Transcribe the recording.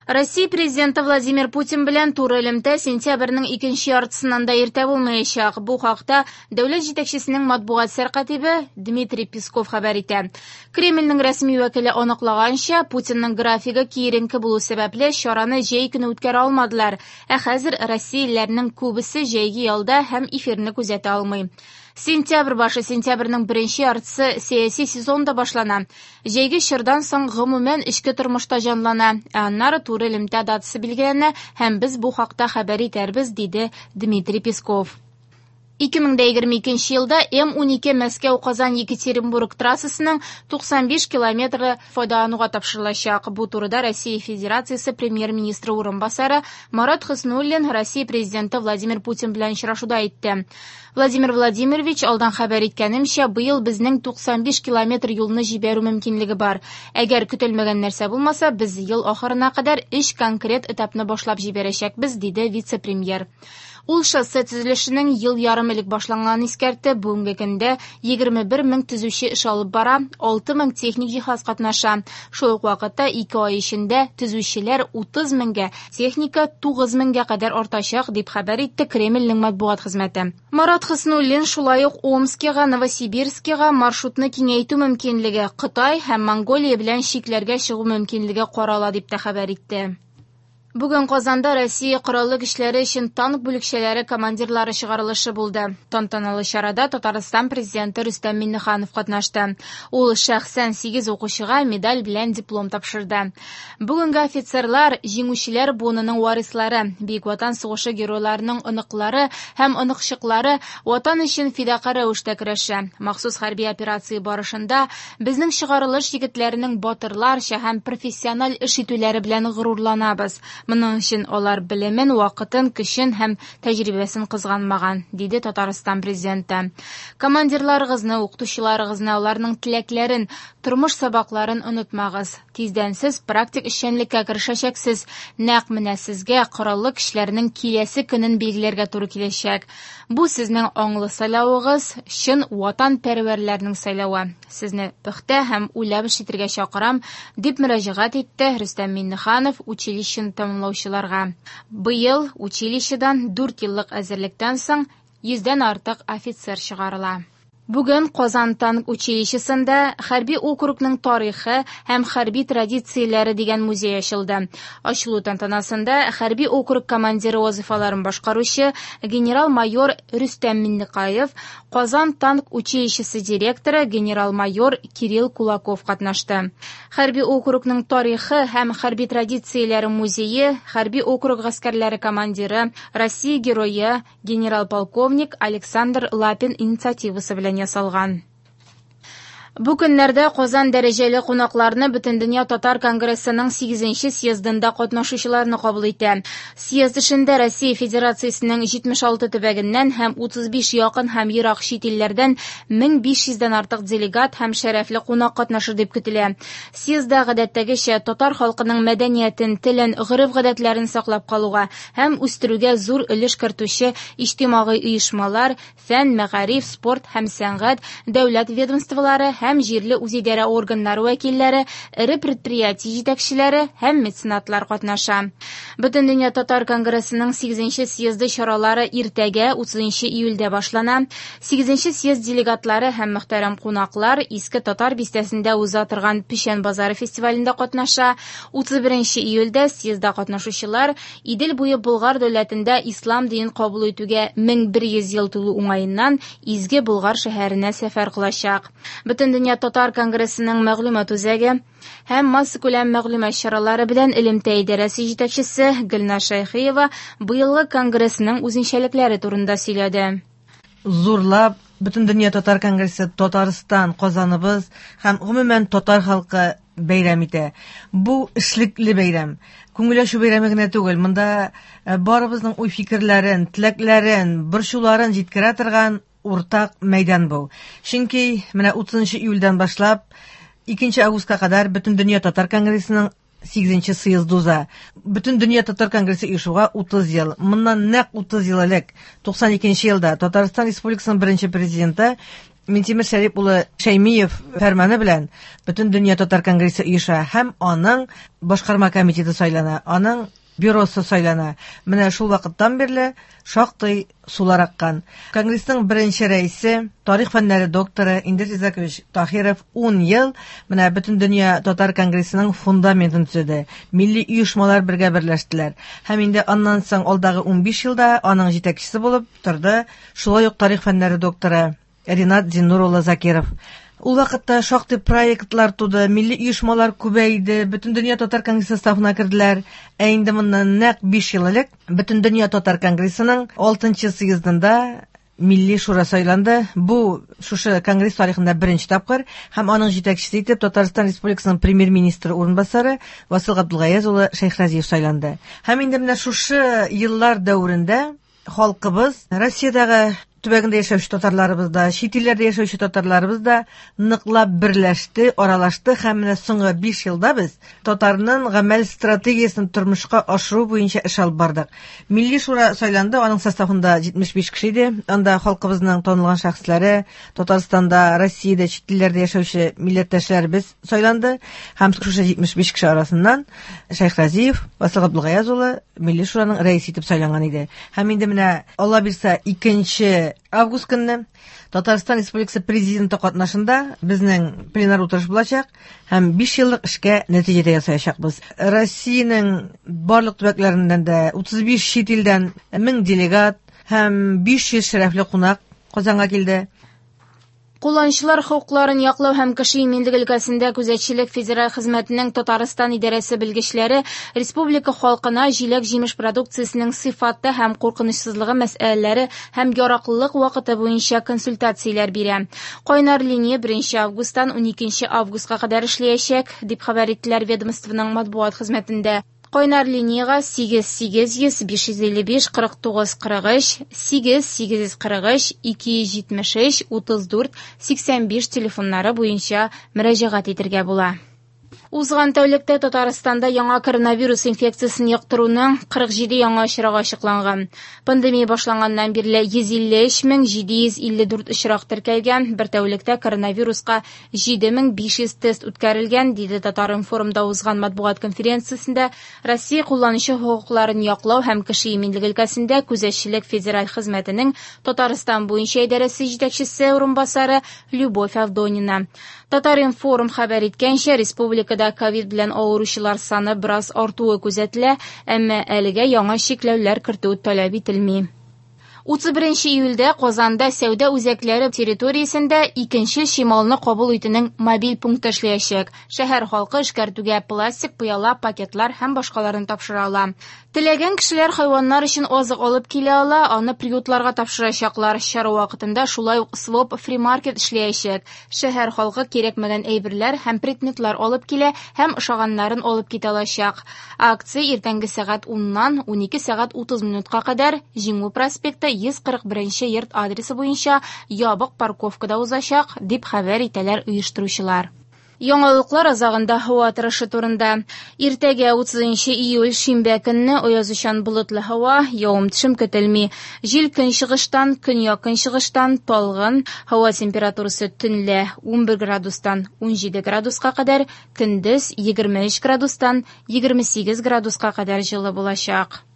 Россия Президенты Владимир Путин белән туры элемтә сентябрьнең икенче яртысыннан да иртә булмаячак. Бу хакта дәүләт җитәкчесенең матбугат сәркатибе Дмитрий Песков хәбәр итә. Кремльнең рәсми вәкиле аныклаганча, Путинның графигы киеренке булу сәбәпле, чараны җәй көне үткәрә алмадылар. Ә хәзер россиялеләрнең күбесе җәйге ялда һәм эфирны күзәтә алмый. Сентябрь башы, сентябрьнең беренче яртысы сәяси сезон да башлана. Җәйге чордан соң гомумән эчке тормышта җанлана, ә аннары туры элемтә датасы билгеләнә һәм без бу хакта хәбәр итәрбез, диде Дмитрий Песков. 2022 елда М-12 Мәскәү-Казан-Екатеринбург трассасының 95 километры файдалануга тапшырылачак. Бу турыда Россия Федерациясе премьер-министры урынбасары Марат Хөснуллин Россия Президенты Владимир Путин белән очрашуда әйтте. Владимир Владимирович, алдан хәбәр иткәнемчә, быел безнең 95 километр юлны җибәрү мөмкинлеге бар. Әгәр көтелмәгән нәрсә булмаса, без ел ахырына кадәр өч конкрет этапны башлап җибәрәчәкбез, диде вице-премьер. Ул шоссе төзелешенең ел ярым элек башланганын искәртте. Бүгенге көндә 21 мең төзүче эш алып бара, 6 мең техник җиһаз катнаша. Шул ук вакытта ике ай эчендә төзүчеләр 30 меңгә, техника 9 меңгә кадәр артачак, дип хәбәр итте Кремльнең матбугат хезмәте. Марат Хөснуллин шулай ук Омскига, Новосибирскига маршрутны киңәйтү мөмкинлеге, Кытай һәм Монголия белән чикләргә чыгу мөмкинлеге карала дип тә хәбәр итте. Бүген Казанда Россия Кораллы көчләре өчен танк бүлекчәләре командирлары чыгарылышы булды. Тантаналы чарада Татарстан Президенты Рөстәм Миңнеханов катнашты. Ул шәхсән 8 укучыга медаль белән диплом тапшырды. Бүгенге офицерлар җиңүчеләр буынының варислары, Бөек Ватан сугышы геройларының оныклары һәм оныкчыклары Ватан өчен фидакарь рәвештә көрәшә. Махсус хәрби операция барышында безнең чыгарылыш егетләренең батырларча һәм профессиональ эш итүләре белән горурланабыз. Моның өчен алар белемен, вакытын, көчен һәм тәҗрибәсен кызганмаган, диде Татарстан Президенты. Командирларыгызны, укытучыларыгызны, аларның теләкләрен, тормыш сабакларын онытмагыз. Тиздән сез практик эшчәнлеккә керешәчәксез. Нәкъ менә сезгә кораллы көчләрнең киләсе көнен билгеләргә туры киләчәк. Бу сезнең аңлы сайлавыгыз, чын ватанпәрвәрләрнең сайлавы. Сезне пөхтә һәм уйлап эш итәргә чакырам, дип мөрәҗәгать итте Рөстәм Миңнеханов училищены тәмамлаучыларга. Быел училищедан 4 еллык әзерлектән соң 100дән артык офицер чыгарыла. Бүген Казан танк училищесында хәрби округның тарихы һәм хәрби традицияләре дигән музей ачылды. Ачылу тантанасында хәрби округ командиры вазифаларын башкаручы генерал-майор Рөстәм Миңнекаев, Казан танк училищесы директоры генерал-майор Кирилл Кулаков катнашты. Хәрби округның тарихы һәм хәрби традицияләре музее хәрби округ гаскәрләре командиры, Россия герое, генерал-полковник Александр Лапин инициативасы белән ясалган. Бу көннәрдә Казан дәрәҗәле кунакларны Бөтендөнья татар конгрессының 8нче съездында катнашучыларны кабул итә. Съезд эшендә Россия Федерациясенең 76 төбәгеннән һәм 35 якын һәм ерак чит илләрдән 1500дән артык делегат һәм шәрәфле кунак катнашыр дип көтелә. Съездда гадәттәгечә татар халкының мәдәниятен, телен, гореф-гадәтләрен саклап калуга һәм үстерүгә зур өлеш кертүче иҗтимагый оешмалар, фән, мәгариф, спорт һәм сәнгать, дәүләт ведомстволары һәм җирле үзидарә органнары вәкилләре, эре предприятие җитәкчеләре һәм меценатлар катнаша. Бөтендөнья татар конгрессының 8нче съезды чаралары иртәгә 30 июльдә башлана. 8нче съезд делегатлары һәм мөхтәрәм кунаклар Иске Татар бистәсендә уза торган Печән базары фестивалендә катнаша. 31 июльдә съездда катнашучылар Идел буе Болгар дәүләтендә ислам динен кабул итүгә 1100 ел тулу уңаеннан Изге Болгар шәһәренә сәфәр кылачак. Бөтендөнья татар конгрессының мәгълүмат үзәге һәм массакүләм мәгълүмат чаралары белән элемтә идарәсе җитәкчесе Гөлнар Шәйхиева быелгы конгрессның үзенчәлекләре турында сөйләде. Зурлап Бөтендөнья татар конгрессы Татарстан, Казаныбыз һәм гомумән татар халкы бәйрәм итә. Бу эшлекле бәйрәм. Күңел ачу бәйрәме генә түгел. Монда барыбызның уй-фикерләрен, теләкләрен, борчуларын җиткерә торган уртак мәйдан бу. Чөнки менә 30 июльдән башлап 2 августка кадәр Бөтендөнья татар конгрессының 8нче съезды уза. Бөтендөнья татар конгрессы оешуга 30 ел. Моннан нәкъ 30 ел элек, 92 елда Татарстан Республикасының беренче президенты Минтимер Шәрип улы Шәймиев фәрманы белән Бөтендөнья татар конгрессы оеша һәм аның башкарма комитеты сайлана, аның бюросы сайлана. Менә шул вакыттан бирле шактый сулар аккан. Конгрессның беренче рәисе, тарих фәннәре докторы Индер Изакович Таһиров 10 ел менә Бөтендөнья татар конгрессының фундаментын төзеде. Милли оешмалар бергә берләштеләр. Һәм инде аннан соң алдагы 15 елда аның җитәкчесе булып торды шулай ук тарих фәннәре докторы Ринат Зиннур улы Закиров. Ул вакытта шактый проектлар туды, милли оешмалар күбәйде, Бөтендөнья татар конгрессы составына керделәр. Ә инде моннан нәкъ 5 ел элек Бөтендөнья татар конгрессының 6 съездында Милли шура сайланды. Бу шушы конгресс тарихында беренче тапкыр һәм аның җитәкчесе итеп Татарстан Республикасының премьер-министры урынбасары Васил Габдулгаяз улы Шәйхразиев сайланды. Һәм инде менә шушы еллар дәверендә халкыбыз Россиядәге төбәгендә яшәүче татарларыбыз да, чит илләрдә яшәүче татарларыбыз да ныклап берләште, аралашты һәм менә соңгы 5 елда без татарның гамәл стратегиясен тормышка ашыру буенча эш алып бардык. Милли шура сайланды, аның составында 75 кеше иде. Анда халкыбызның танылган шәхесләре, Татарстанда, Россиядә, чит илләрдә яшәүче милләттәшләребез сайланды һәм шушы 75 кеше арасыннан Шәйхразиев Васил Габдулгаяз улы Милли шураның рәисе итеп сайланган иде. Һәм инде менә Алла бирсә 2 август көнне Татарстан Республикасы президенты катнашында безнең пленар утырыш булачак һәм 5 еллык эшкә нәтиҗә дә ясаячакбыз. Россиянең барлык төбәкләреннән дә 35 чит илдән 1000 делегат һәм 500 шәрәфле кунак Казанга килде. Кулланучылар хокукларын яклау һәм кеше иминлеге өлкәсендә күзәтчелек федераль хезмәтенең Татарстан идарәсе белгечләре республика халкына җиләк-җимеш продукциясенең сыйфаты һәм куркынычсызлыгы мәсьәләләре һәм яраклылык вакыты буенча консультацияләр бирә. Кайнар линия 1 августтан 12 августка кадәр эшләячәк, дип хәбәр иттеләр ведомствоның матбугат хезмәтендә. Кайнар линиягә 8 800 555 49 43, 8 843 273 34 85 телефоннары буенча мөрәҗәгать итәргә була. Узган тәүлектә Татарстанда яңа коронавирус инфекциясен йоктыруның 47 яңа очрагы ачыкланган. Пандемия башланганнан бирле 153 754 очрак теркәлгән. Бер тәүлектә коронавируска 7500 тест үткәрелгән, диде Татар-информда узган матбугат конференциясендә Россия кулланучы хокукларын яклау һәм кеше иминлеге өлкәсендә күзәтчелек федераль хезмәтенең Татарстан буенча идарәсе җитәкчесе урынбасары Любовь Авдонина. Татар-информ хәбәр иткәнчә, республикада ковид белән авыручылар саны бераз артуы күзәтелә, әмма әлегә яңа чикләүләр кертү таләп ителми. 31 июльдә Казанда сәүдә үзәкләре территориясендә икенче чималны кабул итүнең мобиль пункты эшләячәк. Шәһәр халкы эшкәртүгә пластик, пыяла, пакетлар һәм башкаларын тапшыра ала. Теләгән кешеләр хайваннар өчен азык алып килә ала, аны приютларга тапшырачаклар. Чара вакытында шулай ук своп фри-маркет эшләячәк. Шәһәр халкы кирәкмәгән әйберләр һәм предметлар алып килә һәм ошаганнарын алып китә алачак. Акция иртәнге сәгать 10-нан 12 сәгать 30 минутка кадәр Җиңү проспекты 141 йорт адресы буенча ябык парковкада узачак, дип хәбәр итәләр оештыручылар. Яңалыклар азагында һава торышы турында. Иртәгә 30 июль шимбә көнне аязучан болытлы һава, явым-төшем көтелми. Җил көнчыгыштан, көньяк-көнчыгыштан талгын, һава температурасы төнлә 11 градустан 17 градуска кадәр, көндез 23 градустан 28 градуска кадәр җылы булачак.